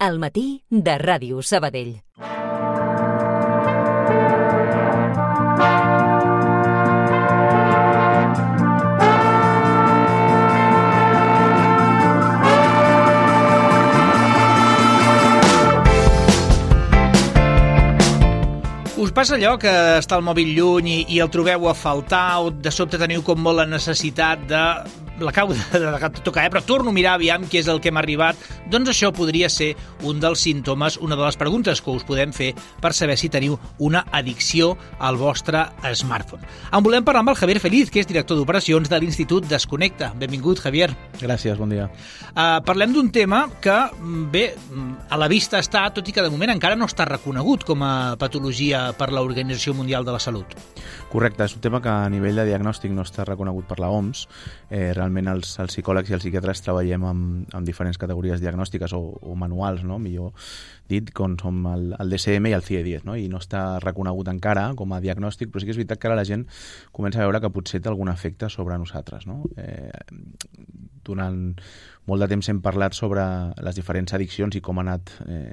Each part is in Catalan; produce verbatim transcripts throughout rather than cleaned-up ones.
Al matí de Ràdio Sabadell. Us passa allò que està el mòbil lluny i, i el trobeu a faltar o de sobte teniu com molt la necessitat de... l'acabo de, de, de tocar, eh? Però torno a mirar aviam què és el que m'ha arribat. Doncs això podria ser un dels símptomes, una de les preguntes que us podem fer per saber si teniu una addicció al vostre smartphone. En volem parlar amb el Javier Feliz, que és director d'operacions de l'Institut Desconnecta. Benvingut, Javier. Gràcies, bon dia. Uh, parlem d'un tema que, bé, a la vista està, tot i que de moment encara no està reconegut com a patologia per l'Organització Mundial de la Salut. Correcte, és un tema que a nivell de diagnòstic no està reconegut per la O M S. Eh, realment els, els psicòlegs i els psiquiatres treballem amb, amb diferents categories diagnòstiques o, o manuals, no? Millor dit, com som el, el D S M i el C I E diez, no? I no està reconegut encara com a diagnòstic, però sí que és veritat que ara la gent comença a veure que potser té algun efecte sobre nosaltres, no? Eh, durant molt de temps hem parlat sobre les diferents addiccions i com, ha anat, eh,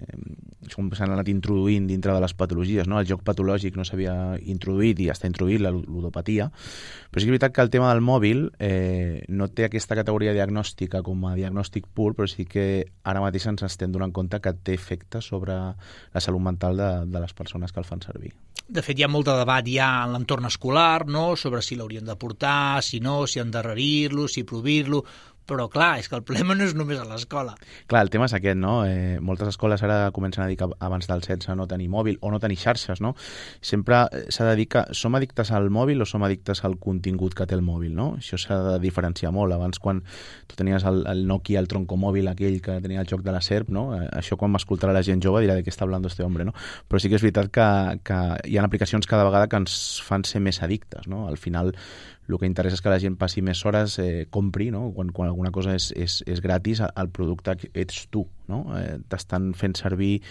com s'han anat introduint dintre de les patologies, no? El joc patològic no s'havia introduït i està introduït la ludopatia, però sí que és veritat que el tema del mòbil eh, no té aquesta categoria diagnòstica com a diagnòstic pur, però sí que ara mateix ens estem donant compte que té efectes sobre la salut mental de, de les persones que el fan servir. De fet, hi ha molt de debat ja en l'entorn escolar, no?, sobre si l'haurien de portar, si no, si endarrerir-lo, si prohibir-lo. Però, clar, és que el problema no és només a l'escola. Clar, el tema és aquest, no? Eh, moltes escoles ara comencen a dir que abans del setze no tenir mòbil o no tenir xarxes, no? Sempre s'ha de dir que som addictes al mòbil o som addictes al contingut que té el mòbil, no? Això s'ha de diferenciar molt. Abans, quan tu tenies el, el Nokia, el troncomòbil, aquell que tenia el joc de la serp, no? Eh, això quan m'escoltarà la gent jove dirà de què està hablando este hombre, no? Però sí que és veritat que, que hi ha aplicacions cada vegada que ens fan ser més addictes, no? Al final, el que interessa és que la gent passi més hores, eh, compri, no? Quan, quan alguna cosa és, és, és gratis, el producte ets tu, no? Eh, t'estan fent servir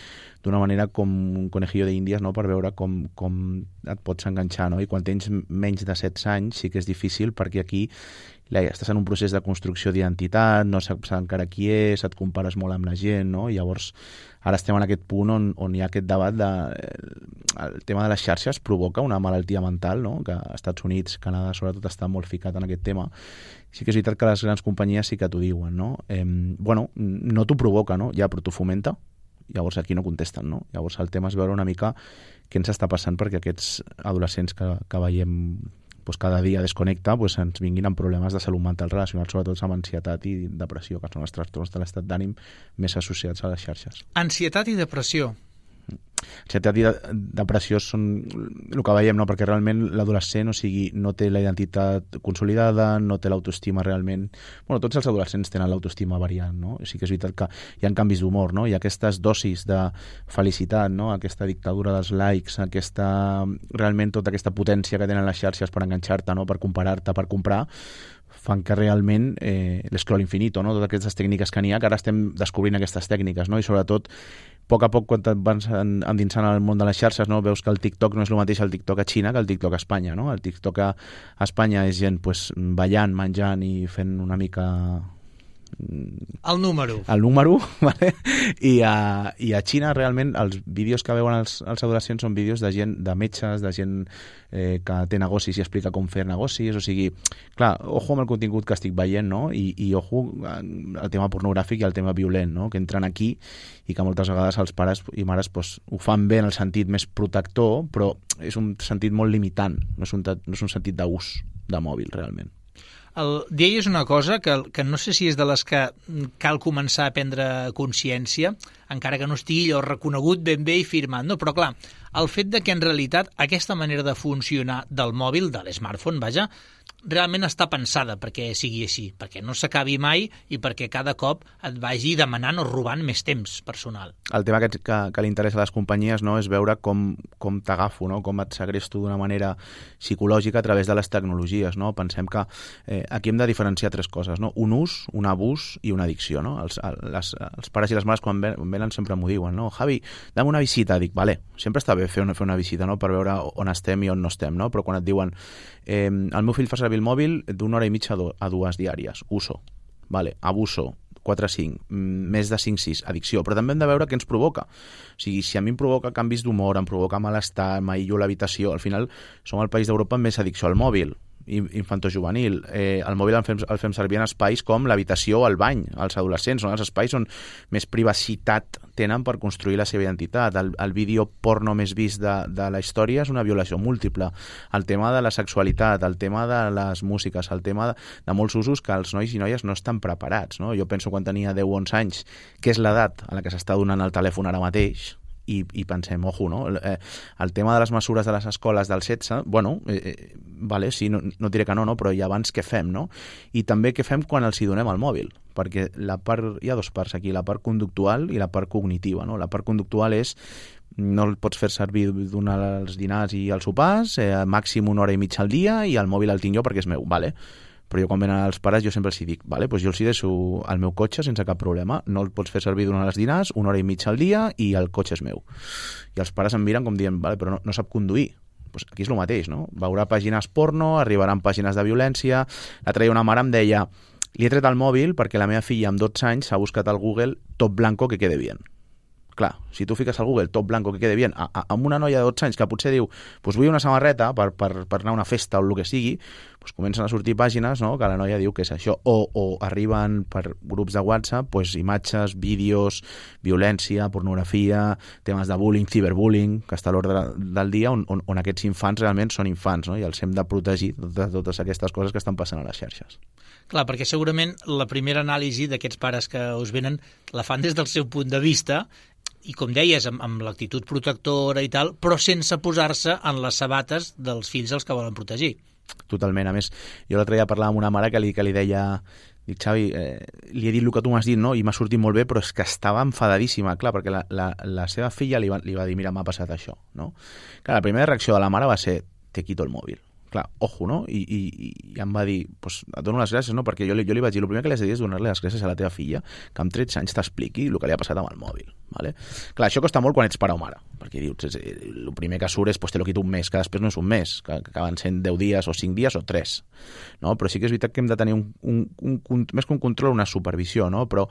d'una manera com un conejillo d'índies, no? Per veure com, com et pots enganxar, no? I quan tens menys de setze anys sí que és difícil, perquè aquí la, estàs en un procés de construcció d'identitat, no saps encara qui és, et compares molt amb la gent, no? I llavors ara estem en aquest punt on, on hi ha aquest debat de... El tema de les xarxes provoca una malaltia mental, no? Que als Estats Units, Canadà, sobretot, està molt ficat en aquest tema. Sí que és veritat que les grans companyies sí que t'ho diuen, no? Eh, bueno, no t'ho provoca, no? Ja, però t'ho fomenta. Llavors aquí no contesten, no? Llavors el tema és veure una mica què ens està passant perquè aquests adolescents que, que veiem pues, cada dia desconnecta, pues, ens vinguin amb problemes de salut mental relacionats sobretot amb ansietat i depressió, que són els trastorns de l'estat d'ànim més associats a les xarxes. Ansietat i depressió. Ansietat i de, depressió són el que veiem, no? Perquè realment l'adolescent, o sigui, no té la identitat consolidada, no té l'autoestima realment... Bueno, tots els adolescents tenen l'autoestima variant, no? O sigui que és veritat que hi ha canvis d'humor, no? Hi ha aquestes dosis de felicitat, no? Aquesta dictadura dels likes, aquesta... realment tota aquesta potència que tenen les xarxes per enganxar-te, no? Per comparar-te, per comprar, fan que realment eh, l'escroll infinito, no? Totes aquestes tècniques que n'hi ha, que ara estem descobrint aquestes tècniques, no? I sobretot, a poc a poc, quan et vas endinsant al món de les xarxes, no? Veus que el TikTok no és el mateix el TikTok a Xina que el TikTok a Espanya, no? El TikTok a Espanya és gent pues, ballant, menjant i fent una mica... El número. El número, vale? I a, i a Xina realment els vídeos que veuen els, els adolescents són vídeos de gent, de metges, de gent eh, que té negocis i explica com fer negocis, o sigui, clar, ojo amb el contingut que estic veient, no? I, i ojo el tema pornogràfic i el tema violent, no? Que entren aquí i que moltes vegades els pares i mares pues, ho fan bé en el sentit més protector, però és un sentit molt limitant, no és un, no és un sentit d'ús de mòbil realment. El, deies una cosa que, que no sé si és de les que cal començar a prendre consciència, encara que no estigui allò reconegut ben bé i firmat, no? Però clar, el fet de que en realitat aquesta manera de funcionar del mòbil, de l'smartphone, vaja, realment està pensada perquè sigui així, perquè no s'acabi mai i perquè cada cop et vagi demanant o robant més temps personal. El tema que, que, que li interessa a les companyies, no, és veure com, com t'agafo, no? Com et segresto d'una manera psicològica a través de les tecnologies, no? Pensem que eh, aquí hem de diferenciar tres coses, no? Un ús, un abús i una addicció, no? Els, les, els pares i les mares quan venen sempre m'ho diuen, no? Javi, dame una visita. Dic, vale, sempre està bé fer una, fer una visita, no? Per veure on estem i on no estem, no? Però quan et diuen eh, el meu fill fa servir el mòbil d'una hora i mitja a dues diàries, uso, vale, abuso, quatre cinc, més de cinc sis, addicció, però també hem de veure què ens provoca. O sigui, si a mi em provoca canvis d'humor, em provoca malestar, m'aïllo l'habitació, al final som el país d'Europa amb més addicció al mòbil, infantojuvenil. Eh, el mòbil el fem, el fem servir en espais com l'habitació o el bany, els adolescents, són els espais on més privacitat tenen per construir la seva identitat. El, el vídeo porno més vist de, de la història és una violació múltiple. El tema de la sexualitat, el tema de les músiques, el tema de, de molts usos que els nois i noies no estan preparats, no? Jo penso quan tenia deu o onze anys, que és l'edat a la que s'està donant el telèfon ara mateix, I, i pensem, ojo, no? El, eh, el tema de les mesures de les escoles del setze, bueno, eh, vale, sí, no, no diré que no, no, però i abans què fem, no? I també què fem quan els hi donem el mòbil, perquè la part, hi ha dues parts aquí, la part conductual i la part cognitiva, no? La part conductual és no el pots fer servir donar els dinars i els sopars, eh, màxim una hora i mitja al dia i el mòbil el tinc jo perquè és meu, vale? Però jo quan venen els pares jo sempre els dic, vale, doncs jo els deixo al meu cotxe sense cap problema, no el pots fer servir durant els dinars, una hora i mitja al dia i el cotxe és meu. I els pares em miren com dient, vale, però no, no sap conduir. Pues aquí és el mateix, no? Veurà pàgines porno, arribaran pàgines de violència. L'altre dia una mare em deia, li he tret el mòbil perquè la meva filla amb dotze anys s'ha buscat al Google top blanco que quede bien. Clar, si tu fiques al Google top blanco que quede bien, a, a, amb una noia de dotze anys que potser diu pues vull una samarreta per, per, per anar a una festa o el que sigui, pues comencen a sortir pàgines, no?, que la noia diu que és això, o, o arriben per grups de WhatsApp pues, imatges, vídeos, violència, pornografia, temes de bullying, ciberbullying, que està a l'ordre del dia, on, on, on aquests infants realment són infants, no?, i els hem de protegir de totes aquestes coses que estan passant a les xarxes. Clar, perquè segurament la primera anàlisi d'aquests pares que us venen la fan des del seu punt de vista i, com deies, amb, amb l'actitud protectora i tal, però sense posar-se en les sabates dels fills als que volen protegir. Totalment. A més, jo l'altre dia parlava amb una mare que li, que li deia... Dic, Xavi, eh, li he dit el que tu m'has dit, no? I m'ha sortit molt bé, però és que estava enfadadíssima, clar, perquè la, la, la seva filla li va, li va dir, mira, m'ha passat això, no? Clar, la primera reacció de la mare va ser, te quito el mòbil. Clar, ojo, no? I, i, i em va dir, pues, et dono les gràcies, no? Perquè jo, jo li vaig dir, el primer que li has de dir és donar-li les gràcies a la teva filla, que amb tretze anys t'expliqui el que li ha passat amb el mòbil. Vale? Clar, això costa molt quan ets pare o mare, perquè dius, el primer que surt és, pues, te lo quito un mes, que després no és un mes, que, que acaben sent deu dies o cinc dies o tres, no? Però sí que és veritat que hem de tenir un, un, un, un, més que un control, una supervisió, no? Però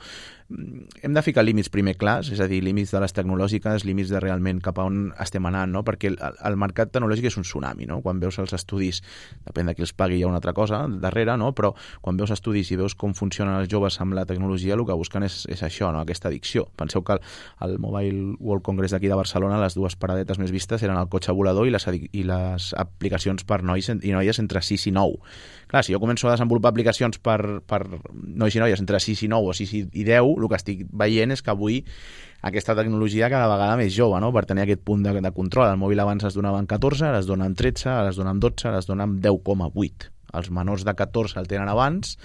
hem de ficar límits primer clars, és a dir, límits de les tecnològiques, límits de realment cap a on estem anant, no? Perquè el, el mercat tecnològic és un tsunami, no? Quan veus els estudis, depèn de qui els pagui, hi ha una altra cosa darrere, no? Però quan veus estudis i veus com funcionen els joves amb la tecnologia, el que busquen és, és això, no? Aquesta addicció. Penseu que el, al Mobile World Congress d'aquí de Barcelona les dues paradetes més vistes eren el cotxe volador i les, i les aplicacions per nois i noies entre sis i nou. Clar, si jo començo a desenvolupar aplicacions per, per nois i noies entre sis i nou o sis i deu, el que estic veient és que avui aquesta tecnologia cada vegada més jove, no?, per tenir aquest punt de, de control. El mòbil abans es donava en catorze, ara es dona en tretze, ara es dona en dotze, ara es dona en deu coma vuit. Els menors de catorze el tenen abans,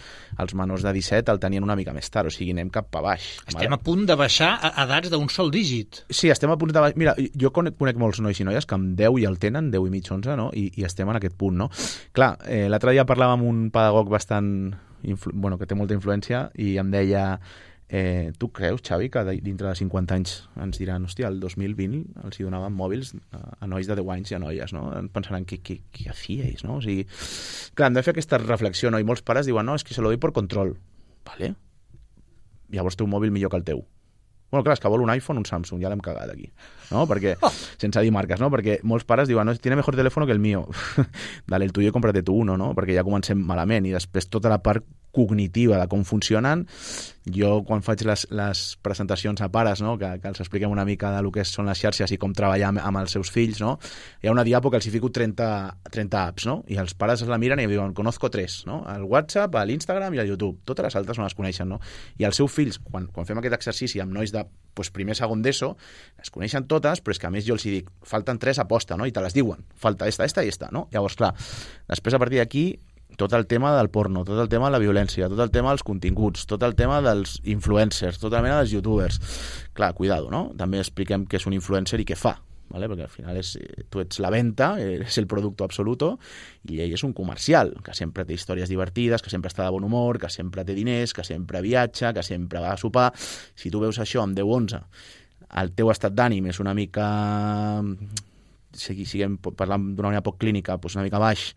els menors de disset el tenien una mica més tard, o sigui, anem cap a baix. Estem vale? a punt de baixar a edats d'un sol dígit. Sí, estem a punt de baixar. Mira, jo conec, conec molts nois i noies que amb deu ja el tenen, deu i mig, onze, no? I, i estem en aquest punt, no? Clar, eh, l'altre dia parlava amb un pedagog bastant... Influ... bueno, que té molta influència, i em deia... Eh, tu creus, Xavi, que dintre de cinquanta anys ens diran, hòstia, el dos mil vint els hi donaven mòbils a, a nois de deu anys i a noies, no? Pensaran, què, què, què hacíais, no? O sigui, clar, hem de fer aquesta reflexió, no? I molts pares diuen, no, és que se lo doy por control. Vale? Llavors té un mòbil millor que el teu. Bueno, clar, és que vol un iPhone, un Samsung, ja l'hem cagat aquí, no? Perquè, oh. sense dir marques, no? Perquè molts pares diuen, no, tiene mejor teléfono que el mío. Dale el tuyo y cómprate tu uno, no? Perquè ja comencem malament, i després tota la part cognitiva de com funcionen. Jo, quan faig les, les presentacions a pares, no?, que, que els expliquem una mica de lo que són les xarxes i com treballar amb, amb els seus fills, no?, hi ha una diapo que els hi fico trenta, trenta apps, no?, i els pares es la miren i em diuen, conozco tres, no?, el WhatsApp, l'Instagram i el YouTube. Totes les altres no les coneixen, no? I els seus fills, quan, quan fem aquest exercici amb nois de pues, primer, segon d'ESO, les coneixen totes, però és que a més jo els hi dic, falten tres aposta, no?, i te les diuen, falta esta, esta i esta, no? Llavors, clar, després a partir d'aquí tot el tema del porno, tot el tema de la violència, tot el tema dels continguts, tot el tema dels influencers, tota la mena dels youtubers. Clar, cuidado, no? També expliquem què és un influencer i què fa, ¿vale? Perquè al final és, tu ets la venta, és el producto absoluto, i ell és un comercial, que sempre té històries divertides, que sempre està de bon humor, que sempre té diners, que sempre viatja, que sempre va a sopar. Si tu veus això amb deu onze, el teu estat d'ànim és una mica si siguem parlant d'una manera poc clínica, doncs una mica baix,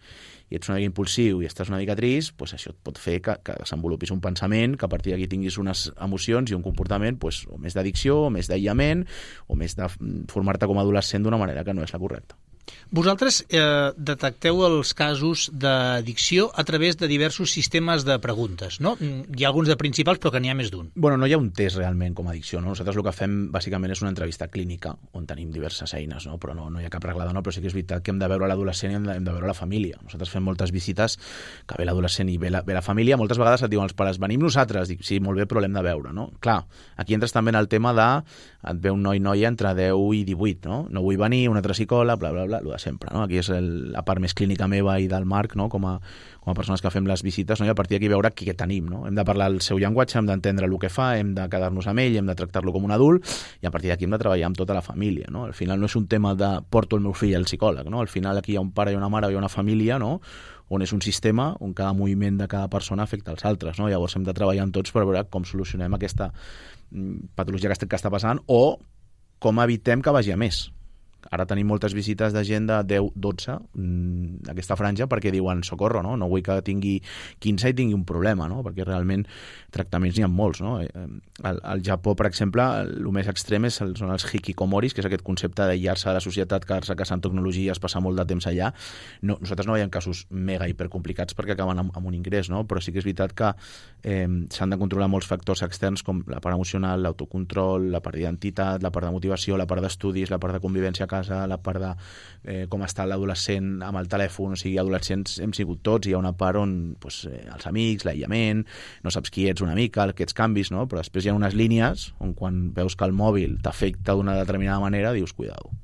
i ets una mica impulsiu i estàs una mica trist, doncs això et pot fer que, que desenvolupis un pensament, que a partir d'aquí tinguis unes emocions i un comportament doncs, o més d'addicció, o més d'aïllament, o més de formar-te com a adolescent d'una manera que no és la correcta. Vosaltres eh, detecteu els casos d'addicció a través de diversos sistemes de preguntes, no? Hi ha alguns de principals, però que n'hi ha més d'un. Bueno, no hi ha un test realment com a addicció, no? Nosaltres el que fem bàsicament és una entrevista clínica on tenim diverses eines, no? Però no, no hi ha cap reglada, no? Però sí que és veritat que hem de veure l'adolescent i hem de, hem de veure la família. Nosaltres fem moltes visites que ve l'adolescent i ve la, ve la família. Moltes vegades et diuen els pares, venim nosaltres. Dic, sí, molt bé, però l'hem de veure, no? Clar, aquí entres també en el tema de et ve un noi-noia entre deu i divuit, no? No vull venir, un altre psicòleg, bla, bla, bla, el de sempre, no? Aquí és el, la part més clínica meva i del Marc, no? Com a, com a persones que fem les visites, no? I a partir d'aquí veure què tenim, no? Hem de parlar el seu llenguatge, hem d'entendre el que fa, hem de quedar-nos amb ell, hem de tractar-lo com un adult i a partir d'aquí hem de treballar amb tota la família, no? Al final no és un tema de porto el meu fill al psicòleg, no? Al final aquí hi ha un pare i una mare, hi ha una família, no? On és un sistema on cada moviment de cada persona afecta els altres, no? Llavors hem de treballar amb tots per veure com solucionem aquesta patologia que està passant o com evitem que vagi a més. Ara tenim moltes visites de gent de deu, dotze, aquesta franja, perquè diuen, socorro, no? No vull que tingui quinze i tingui un problema, no? Perquè realment tractaments n'hi ha molts, no? Al, al Japó, per exemple, el més extrem és el, són els hikikomoris, que és aquest concepte d'aïllar-se de la societat, quedar-se casant tecnologies, passar molt de temps allà. No, nosaltres no veiem casos mega hipercomplicats perquè acaben amb, amb un ingrés, no? Però sí que és veritat que eh, s'han de controlar molts factors externs com la part emocional, l'autocontrol, la part d'identitat, la part de motivació, la part d'estudis, la part de convivència a casa, la part de eh, com està l'adolescent amb el telèfon, o sigui, adolescents hem sigut tots, hi ha una part on pues, eh, els amics, l'aïllament, no saps qui ets una mica, aquests canvis, no? Però després hi ha unes línies on quan veus que el mòbil t'afecta d'una determinada manera, dius, cuidado.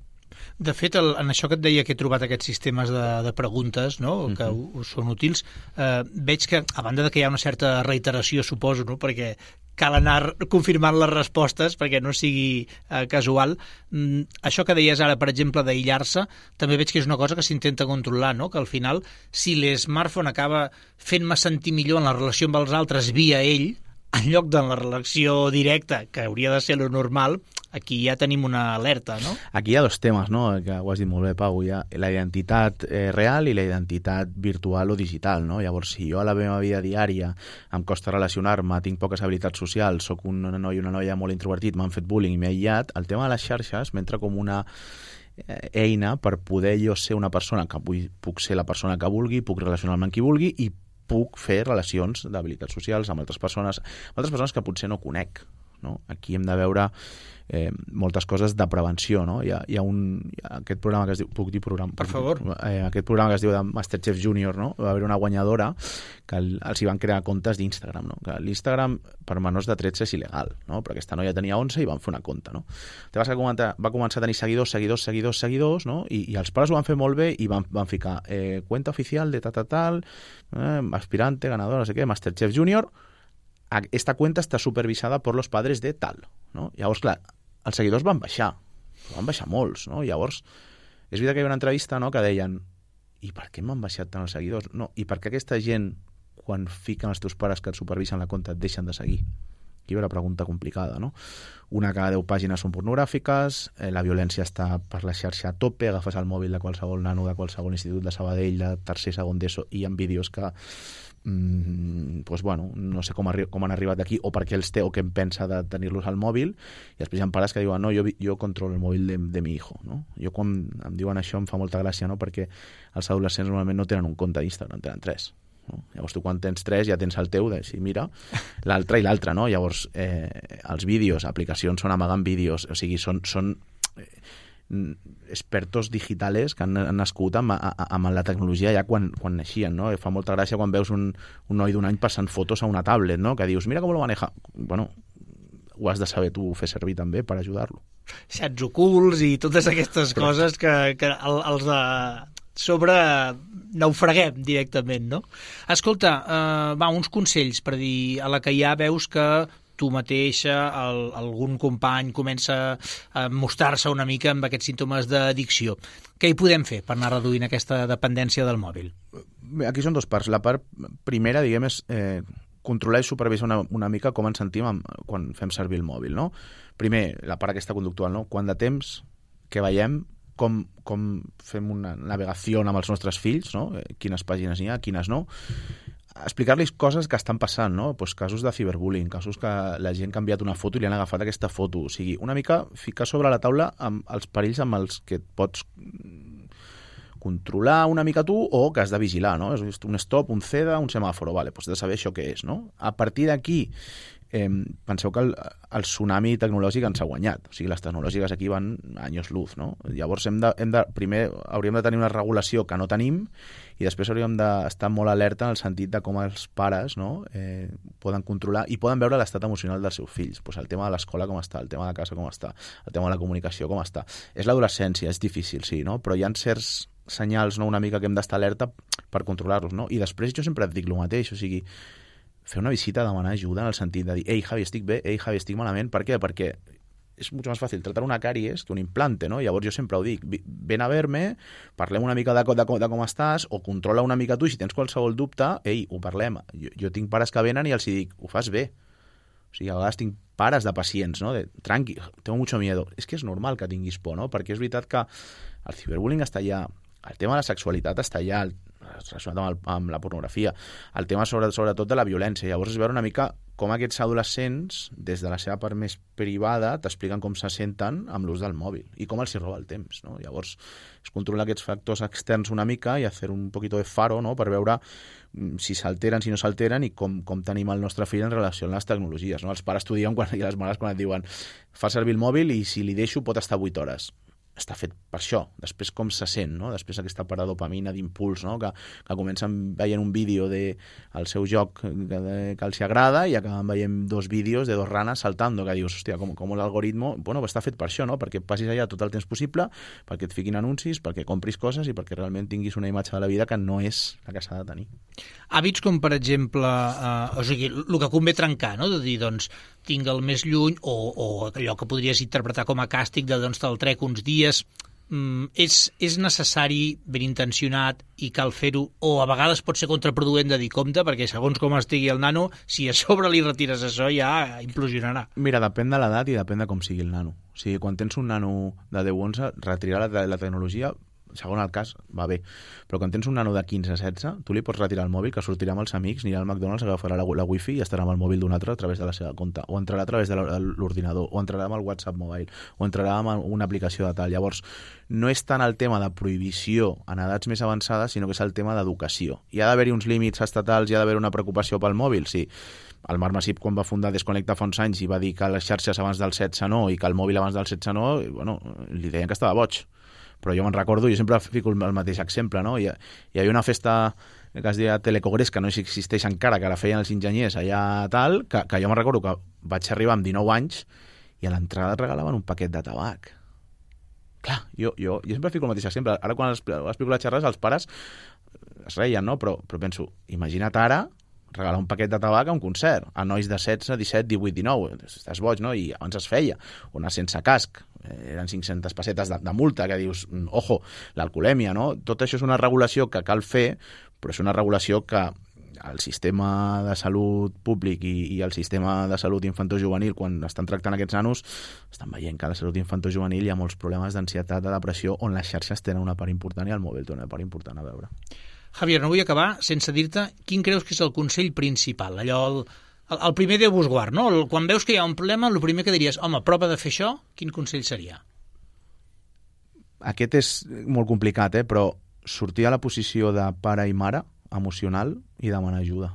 De fet, el, en això que et deia que he trobat aquests sistemes de, de preguntes, no? Que uh-huh. us són útils, eh, veig que, a banda de que hi ha una certa reiteració, suposo, no? Perquè cal anar confirmant les respostes perquè no sigui eh, casual. Mm, això que deies ara, per exemple, d'aïllar-se, també veig que és una cosa que s'intenta controlar, no? Que al final, si l'smartphone acaba fent-me sentir millor en la relació amb els altres via ell, en lloc de la relació directa, que hauria de ser lo normal, aquí ja tenim una alerta, no? Aquí hi ha dos temes, no?, que ho has dit molt bé, Pau. Hi ha la identitat eh, real i la identitat virtual o digital, no? Llavors, si jo a la meva vida diària em costa relacionar-me, tinc poques habilitats socials, sóc un noi o una noia molt introvertit, m'han fet bullying i m'he aïllat, el tema de les xarxes m'entra com una eina per poder jo ser una persona que vull, puc ser la persona que vulgui, puc relacionar-me amb qui vulgui i puc fer relacions d'habilitats socials amb altres persones, amb altres persones que potser no conec, no? Aquí hem de veure eh, moltes coses de prevenció, no? Hi ha, hi ha un, hi ha aquest programa que es diu, puc dir programa? Per favor. Eh, aquest programa que es diu de Masterchef Junior, no? Va haver una guanyadora que el, els hi van crear comptes d'Instagram, no? Que l'Instagram per menors de tretze és il·legal, no? Però aquesta noia tenia onze i van fer una compte, no? Te vas a comentar, va començar a tenir seguidors, seguidors, seguidors, seguidors, no? I, i els pares ho van fer molt bé i van, van ficar eh, cuenta oficial de tal, tal, tal, eh, aspirante, ganador, no sé què, Masterchef Junior. Esta cuenta està supervisada per los padres de tal, no? Llavors, clar, els seguidors van baixar, van baixar molts, no? Llavors, és veritat que hi havia una entrevista, no?, que deien, i per què m'han baixat tant els seguidors? No, i per què aquesta gent, quan fiquen els teus pares que et supervisen la compte, et deixen de seguir? Aquí ve la pregunta complicada, no? Una cada deu pàgines són pornogràfiques, eh, la violència està per la xarxa a tope, agafes el mòbil de qualsevol nano de qualsevol institut de Sabadell, de tercer, segon d'ESO, i hi ha vídeos que mm, pues bueno, no sé com, com han arribat aquí o per què els té o què em pensa de tenir-los al mòbil, i després hi ha pares que diuen, no, jo, jo controlo el mòbil de, de mi hijo, no? Jo quan em diuen això em fa molta gràcia, no?, perquè els adolescents normalment no tenen un compte d'Instagram, tenen tres. No? Llavors tu quan tens tres ja tens el teu de si mira l'altre i l'altre, no? Llavors eh, els vídeos, aplicacions són amagant vídeos, o sigui, són, són eh, expertos digitales que han, han nascut amb, amb la tecnologia ja quan, quan naixien, no? I fa molta gràcia quan veus un, un noi d'un any passant fotos a una tablet, no?, que dius, mira com lo maneja. Bueno, ho has de saber tu fer servir també per ajudar-lo. Xats ocults i totes aquestes Correcte. Coses que, que els de sobre naufraguem directament, no? Escolta, eh, va, uns consells per dir, a la que ja veus que tu mateixa, el, algun company comença a mostrar-se una mica amb aquests símptomes d'addicció. Què hi podem fer per anar reduint aquesta dependència del mòbil? Aquí són dues parts. La part primera, diguem, és eh, controlar i supervisar una, una mica com ens sentim amb, quan fem servir el mòbil, no? Primer, la part aquesta conductual, no? Quant de temps, què veiem, com, com fem una navegació amb els nostres fills, no? Quines pàgines hi ha, quines no. Explicar-los coses que estan passant, no? Pues casos de ciberbullying, casos que la gent ha canviat una foto i li han agafat aquesta foto. O sigui, una mica ficar sobre la taula amb els perills amb els que et pots controlar una mica tu o que has de vigilar, no? És un stop, un C E D A, un semàforo, vale, doncs has de saber això què és, no? A partir d'aquí, eh, penseu que el, el tsunami tecnològic ens ha guanyat. O sigui, les tecnològiques aquí van anys luz, no? Llavors, hem de, hem de, primer hauríem de tenir una regulació que no tenim i després hauríem d'estar molt alerta en el sentit de com els pares, no? eh, poden controlar i poden veure l'estat emocional dels seus fills. Pues el tema de l'escola com està, el tema de casa com està, el tema de la comunicació com està. És l'adolescència, és difícil, sí, no? Però hi ha certs senyals, no, una mica que hem d'estar alerta per controlar-los, no? I després jo sempre et dic el mateix, o sigui, fer una visita, demanar ajuda en el sentit de dir, ei, Javi, estic bé, ei, Javi, estic malament. Per què? Perquè és molt més fàcil tratar una càries que un implante, no? Llavors jo sempre ho dic, ven a ver-me, parlem una mica de, de, de com estàs, o controla una mica tu, i si tens qualsevol dubte, ei, ho parlem. Jo, jo tinc pares que venen i els dic, ho fas bé. O sigui, a vegades tinc pares de pacients, no? De, tranqui, tengo mucho miedo. És que és normal que tinguis por, no? Perquè és veritat que el ciberbullying està allà, el tema de la sexualitat està allà, relacionat amb, el, amb la pornografia, el tema sobre, sobretot de la violència. Llavors és veure una mica com aquests adolescents, des de la seva part més privada, t'expliquen com se senten amb l'ús del mòbil i com els hi roba el temps, no? Llavors és controlar aquests factors externs una mica i fer un poquito de faro, no? Per veure si s'alteren, si no s'alteren i com, com tenim el nostre fill en relació amb les tecnologies, no? Els pares t'ho diuen quan, i les mares quan et diuen fa servir el mòbil i si li deixo pot estar vuit hores. Està fet per això. Després com se sent, no? Després aquesta part de dopamina, d'impuls, no? Que, que comencen veient un vídeo del seu joc que, que els agrada i acaben veient dos vídeos de dos ranes saltando, que dius, hòstia, com, com l'algoritmo... Bueno, està fet per això, no? Perquè passis allà tot el temps possible, perquè et fiquin anuncis, perquè compris coses i perquè realment tinguis una imatge de la vida que no és la que s'ha de tenir. Hàbits com, per exemple, eh, o sigui, el que convé trencar, no? De dir, doncs, tinc el més lluny, o, o allò que podries interpretar com a càstig de, doncs, te'l trec uns dies, mm, és, és necessari, ben intencionat, i cal fer-ho, o a vegades pot ser contraproduent de dir compte, perquè segons com estigui el nano, si a sobre li retires això ja implosionarà. Mira, depèn de l'edat i depèn de com sigui el nano. O sigui, quan tens un nano de deu onze, retirar la, la tecnologia segon el cas, va bé. Però quan tens un nano de quinze a setze, tu li pots retirar el mòbil, que sortirà amb els amics, anirà al McDonald's, agafarà la, la wifi i estarà amb el mòbil d'un altre a través de la seva compte, o entrarà a través de l'ordinador, o entrarà amb el WhatsApp Mobile, o entrarà amb una aplicació de tal. Llavors, no és tant el tema de prohibició en edats més avançades, sinó que és el tema d'educació. Hi ha d'haver-hi uns límits estatals, hi ha d'haver una preocupació pel mòbil, sí. El Marc Masip, quan va fundar Desconnecta fa uns anys i va dir que les xarxes abans del setze no i que el mòbil abans del setze no, bueno, li deien que estava boig. Però jo me'n recordo, jo sempre fico el mateix exemple, no? Hi, hi havia una festa que es deia Telecongrés, que no existeix encara, que la feien els enginyers allà tal, que, que jo me'n recordo que vaig arribar amb dinou anys i a l'entrada et regalaven un paquet de tabac. Clar, jo, jo, jo sempre fico el mateix exemple. Ara quan explico les xerrades, els pares es reien, no? Però, però penso, imagina't ara regalar un paquet de tabac a un concert, a nois de setze, disset, divuit, dinou, estàs boig, no? I abans es feia, o anar sense casc, eren cinc-centes pessetes de, de multa, que dius, ojo, l'alcoholèmia, no? Tot això és una regulació que cal fer, però és una regulació que el sistema de salut públic i, i el sistema de salut infantojuvenil, quan estan tractant aquests nanos, estan veient que a la salut infantojuvenil hi ha molts problemes d'ansietat, de depressió, on les xarxes tenen una part important i el mòbil té una part important a veure. Javier, no vull acabar sense dir-te quin creus que és el consell principal, allò, el, el, el primer Déu vos guard, no? El, quan veus que hi ha un problema, el primer que diries, home, prova de fer això, quin consell seria? Aquest és molt complicat, eh? Però sortir a la posició de pare i mare emocional i demanar ajuda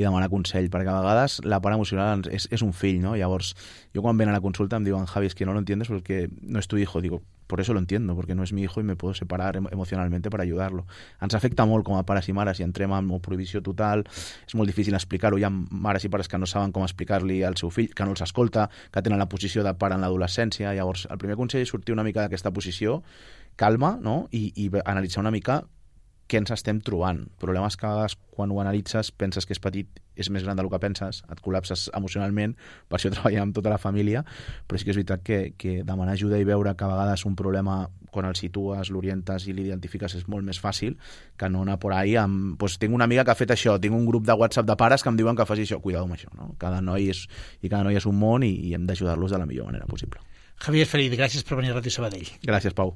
i demanar consell, perquè a vegades la part emocional és, és un fill, no? Llavors, jo quan ven a la consulta em diuen, Javi, es que no lo entiendes porque no es tu hijo. Digo, por eso lo entiendo, porque no es mi hijo y me puedo separar emocionalmente para ayudarlo. Ens afecta molt com a pares i mares i entrem en prohibició total, és molt difícil explicar-ho. Hi ha mares i pares que no saben com explicar-li al seu fill, que no els escolta, que tenen la posició de pare en l'adolescència. Llavors, el primer consell és sortir una mica d'aquesta posició, calma, no? I, i analitzar una mica què ens estem trobant. Problemes que a vegades, quan ho analitzes, penses que és petit, és més gran del que penses, et col·lapses emocionalment, per això treballem amb tota la família, però sí que és veritat que, que demanar ajuda i veure que a vegades un problema, quan el situes, l'orientes i l'identifiques, és molt més fàcil que no anar por ahí amb... Pues, tinc una amiga que ha fet això, tinc un grup de WhatsApp de pares que em diuen que faci això. Cuidado amb això, no? Cada noi és, i cada noi és un món i, i hem d'ajudar-los de la millor manera possible. Javier Ferit, gràcies per venir a Ràdio Sabadell. Gràcies, Pau.